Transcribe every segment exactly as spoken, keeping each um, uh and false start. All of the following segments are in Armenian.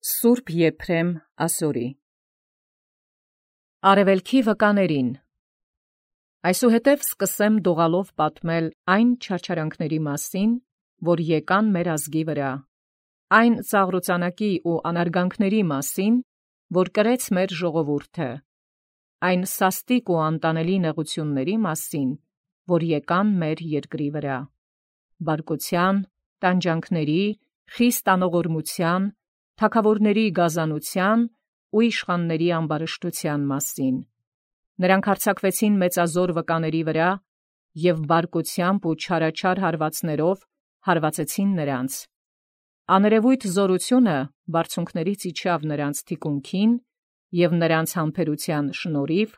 Սուրբ Եփրեմ ասորի Արևելքի վկաներին Այսուհետև սկսեմ դողալով պատմել այն չարչարանքների մասին, որ եկան մեր ազգի վրա, այն ծաղրուծանակի ու անարգանքների մասին, որ կրեց մեր ժողովուրդը, այն սաստիկ ու անտանելի նեղությունների մասին, որ եկան մեր երկրի վրա, բարկության, տանջանքների, խիստ անողորմության, թագավորների գազանության ու իշխանների ամբարշտության մասին. Նրանք հարձակվեցին մեծազոր վկաների վրա և բարկությամբ ու չարաչար հարվածներով հարվածեցին նրանց. աներևույթ զորությունը բարձունքներից իջավ նրանց թիկունքին և նրանց համբերության շնորհիվ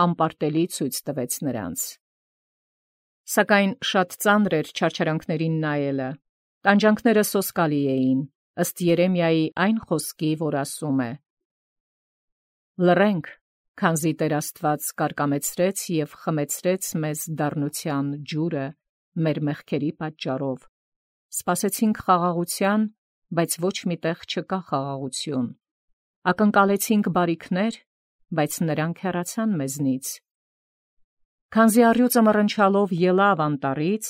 անպարտելի ցույց տվեց նրանց. Սակայն շատ ծանր էր չարչարանքներին նայելը, տանջանքները սոսկալի էին, ըստ Երեմիայի այն խոսքի, որ ասում է. Լռենք, քանզի Տեր Աստված կարկամեցրեց և խմեցրեց մեզ դառնության ջուրը մեր մեղքերի պատճառով. սպասեցինք խաղաղության, բայց ոչ մի տեղ չկա խաղաղություն, ակնկալեցինք բարիքներ, բայց նրանք հեռացան մեզնից. Քանզի առյուծը մռնչալով ելավ անտառից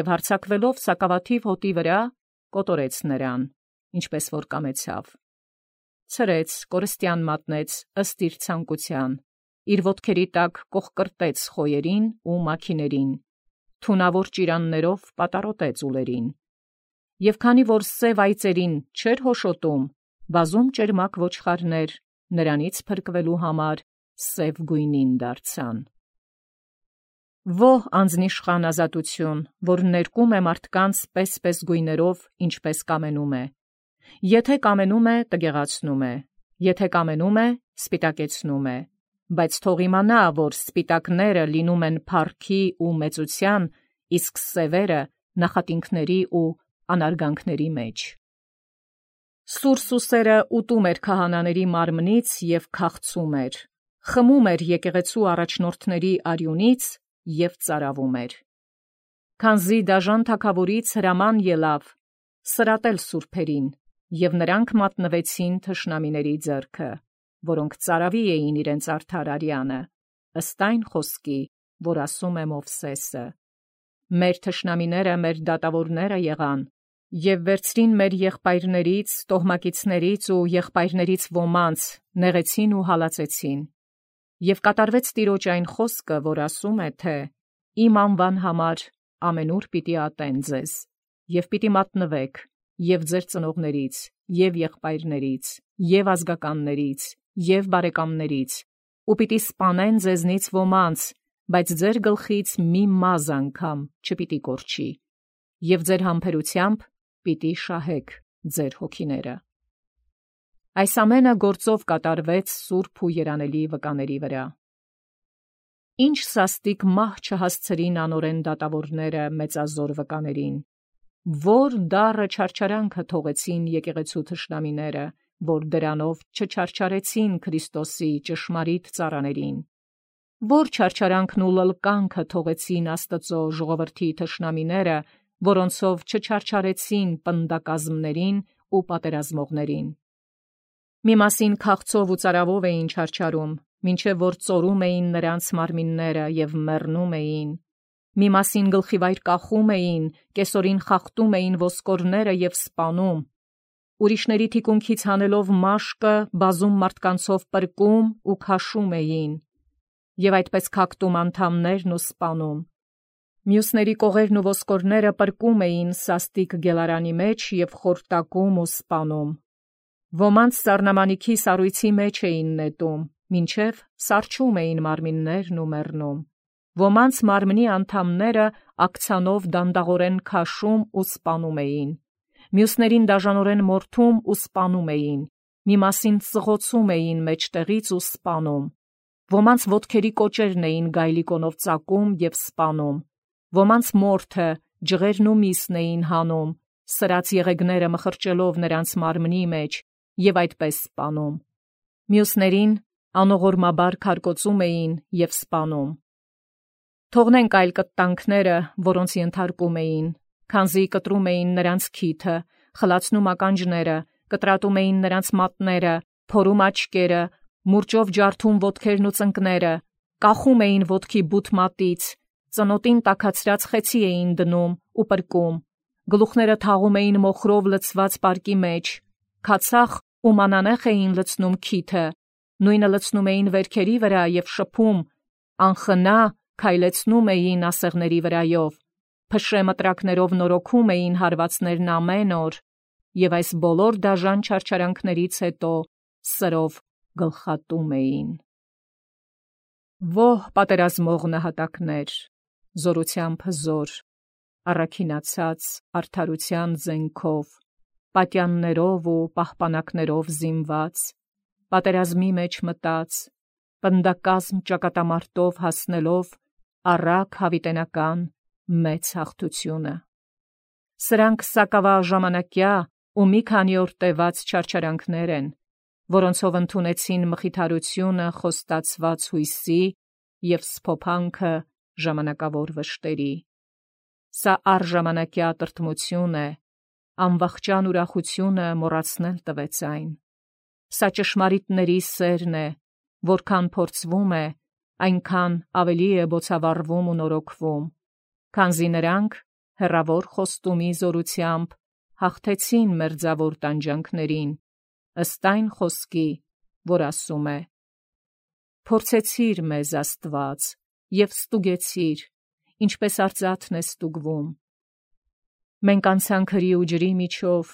և հարձակվելով սակավաթիվ հոտի վրա, կոտորեց նրան, ինչպես որ կամեցավ. ցրեց, կորստյան մատնեց ըստ իր ցանկության, իր ոտքերի տակ կոխկրտեց խոյերին ու մաքիներին, թունավոր ճիրաններով պատառոտեց ուլերին. և քանի որ սև այծերին չէր հոշոտում, բազում ճերմակ ոչխարներ նրանից փրկվելու համար սև գույնին դարձան. Ո՛հ անձնիշխան ազատություն, որ ներկում է մարդկանց պես-պես գույներով, ինչպես կամենում է. եթե կամենում է, տգեղացնում է, եթե կամենում է, սպիտակեցնում է, բայց թող իմանա, որ սպիտակները լինում են փառքի ու մեծության, իսկ սևերը նախատինքների ու անարգանքների մեջ. Սուր սուսերը ուտում էր քահանաների մարմնից և քաղցում էր, խմում էր եկեղեցու առաջնորդների արյունից և ծարավում էր. Քանզի դաժան թագավորից հրաման ելավ սրատել սուրբերին, և նրանք մատնվեցին թշնամիների ձեռքը, որոնք ծարավի էին իրենց արդար արյանը, ըստ այն խոսքի, որ ասում է Մովսեսը. մեր թշնամիները մեր դատավորները եղան, և վերցրին մեր եղբայրներից, տոհմակիցներից ու եղբայրներից ոմանց, նեղեցին ու հալածեցին. և կատարվեց Տիրոջ այն խոսքը, որ ասում է, թե իմ անվան համար ամենուր պիտի ատեն ձեզ, և պիտի մատնվեք, և ձեր ծնողներից, և եղբայրներից, և ազգականներից, և բարեկամներից, ու պիտի սպանեն ձեզնից ոմանց, բայց ձեր գլխից մի մազ անգամ չպիտի կորչի, և ձեր համբերությամբ պիտի շահեք ձեր հոգիները. Այս ամենը գործով կատարվեց սուրբ ու երանելի վկաների վրա. Ինչ սաստիկ մահ չհասցրին անօրեն դատավորները մեծազոր վկաներին, որ դառը չարչարանքը թողեցին եկեղեցու թշնամիները, որ դրանով չչարչարեցին Քրիստոսի ճշմարիտ ծառաներին, որ չարչարանքն ու լլկանքը թողեցին Աստծո ժողովրդի թշնամիները, որոնցով չչարչարեցին պնդակազմներին ու պատերազմողներին. մի մասին քաղցով ու ծարավով էին չարչարում, մինչև որ ծորում էին նրանց մարմինները և մեռնում էին, մի մասին գլխիվայր կախում էին, կեսօրին խախտում էին ոսկորները և սպանում, ուրիշների թիկունքից հանելով մաշկը, բազում մարդկանցով պրկում ու քաշում էին, և այդպես քակտում անդամներն ու սպանում, մյուսների կողերն ու ոսկորները պրկում էին սաստիկ գելարանի մեջ և խորտակում ու սպանում, ոմանց սառնամանիքի սառույցի մեջ էին նետում, մինչև սառչում էին մարմիններն ու մեռնում, ոմանց մարմնի անդամները աքցանով դանդաղորեն քաշում ու սպանում էին, մյուսներին դաժանորեն մորթում ու սպանում էին, մի մասին ծղոցում էին մեջտեղից ու սպանում, ոմանց ոտքերի կոճերն էին գայլիկոնով ծակում և սպանում, ոմանց մորթը ջղերն ու միսն էին հանում, սրած եղեգները մխրճելով նրանց մարմնի մեջ և այդպես սպանում, մյուսներին անողորմաբար քարկոծում էին և սպանում. Թողնենք այլ կտտանքները, որոնց ենթարկում էին, քանզի կտրում էին նրանց քիթը, խլացնում ականջները, կտրատում էին նրանց մատները, փորում աչքերը, մուրճով ջարդում ոտքերն ու ծնկները, կախում էին ոտքի բութ մատից, ծնոտին տաքացրած խեցի էին դնում ու պրկում, գլուխները թաղում էին մոխրով լցված պարկի մեջ, քացախ ու մանանեխ էին լցնում քիթը, նույնը լցնում էին վերքերի վրա և շփում, անխնա քայլեցնում էին ասեղների վրայով, փշե մտրակներով նորոգում էին հարվածներն ամեն օր, և այս բոլոր դաժան չարչարանքներից հետո սրով գլխատում էին։ Ո՛հ պատերազմող նահատակներ, զորությամբ հզոր, առաքինացած արդարության զենքով, պատյաններով ու պահպանակներով զինված, պատերազմի մեջ մտած, պնդակազմ ճակատամարտով հասնելով առակ հավիտենական մեծ հաղթությունը։ Սրանք սակավաժամանակյա ու մի քանի օր տևած չարչարանքներ են, որոնցով ընդունեցին մխիթարությունը խոստացված հույսի և սփոփանքը ժամանակավոր վշտերի։ Սա առժամանակյա տրտմություն է, անվախճան ուրախությունը մոռացնել տվեց այն։ Սա ճշմարիտների սերն է, որքան փորձվում է, այնքան ավելի է բոցավառվում ու նորոգվում, քանզի նրանք հեռավոր խոստումի զորությամբ հաղթեցին մերձավոր տանջանքներին, ըստ այն խոսքի, որ ասում է. «Փորձեցիր մեզ, Աստված, և ստուգեցիր, ինչպես արծաթն է ստուգվում։ Մենք անցանք հրի ու ջրի միջով,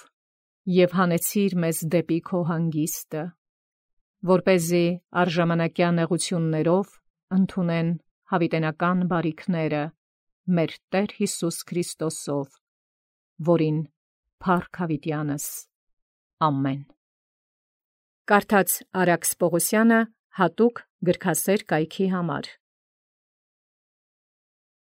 և հանեցիր մեզ դեպի քո հանգիստը, որպեսզի առժամանակյա նեղություններով ընդունեն հավիտենական բարիքները մեր Տեր Հիսուս Քրիստոսով, որին փառք հավիտյանս։ Ամեն»։ Կարդաց Արաքս Պողոսյանը հատուկ գրքասեր կայքի համար։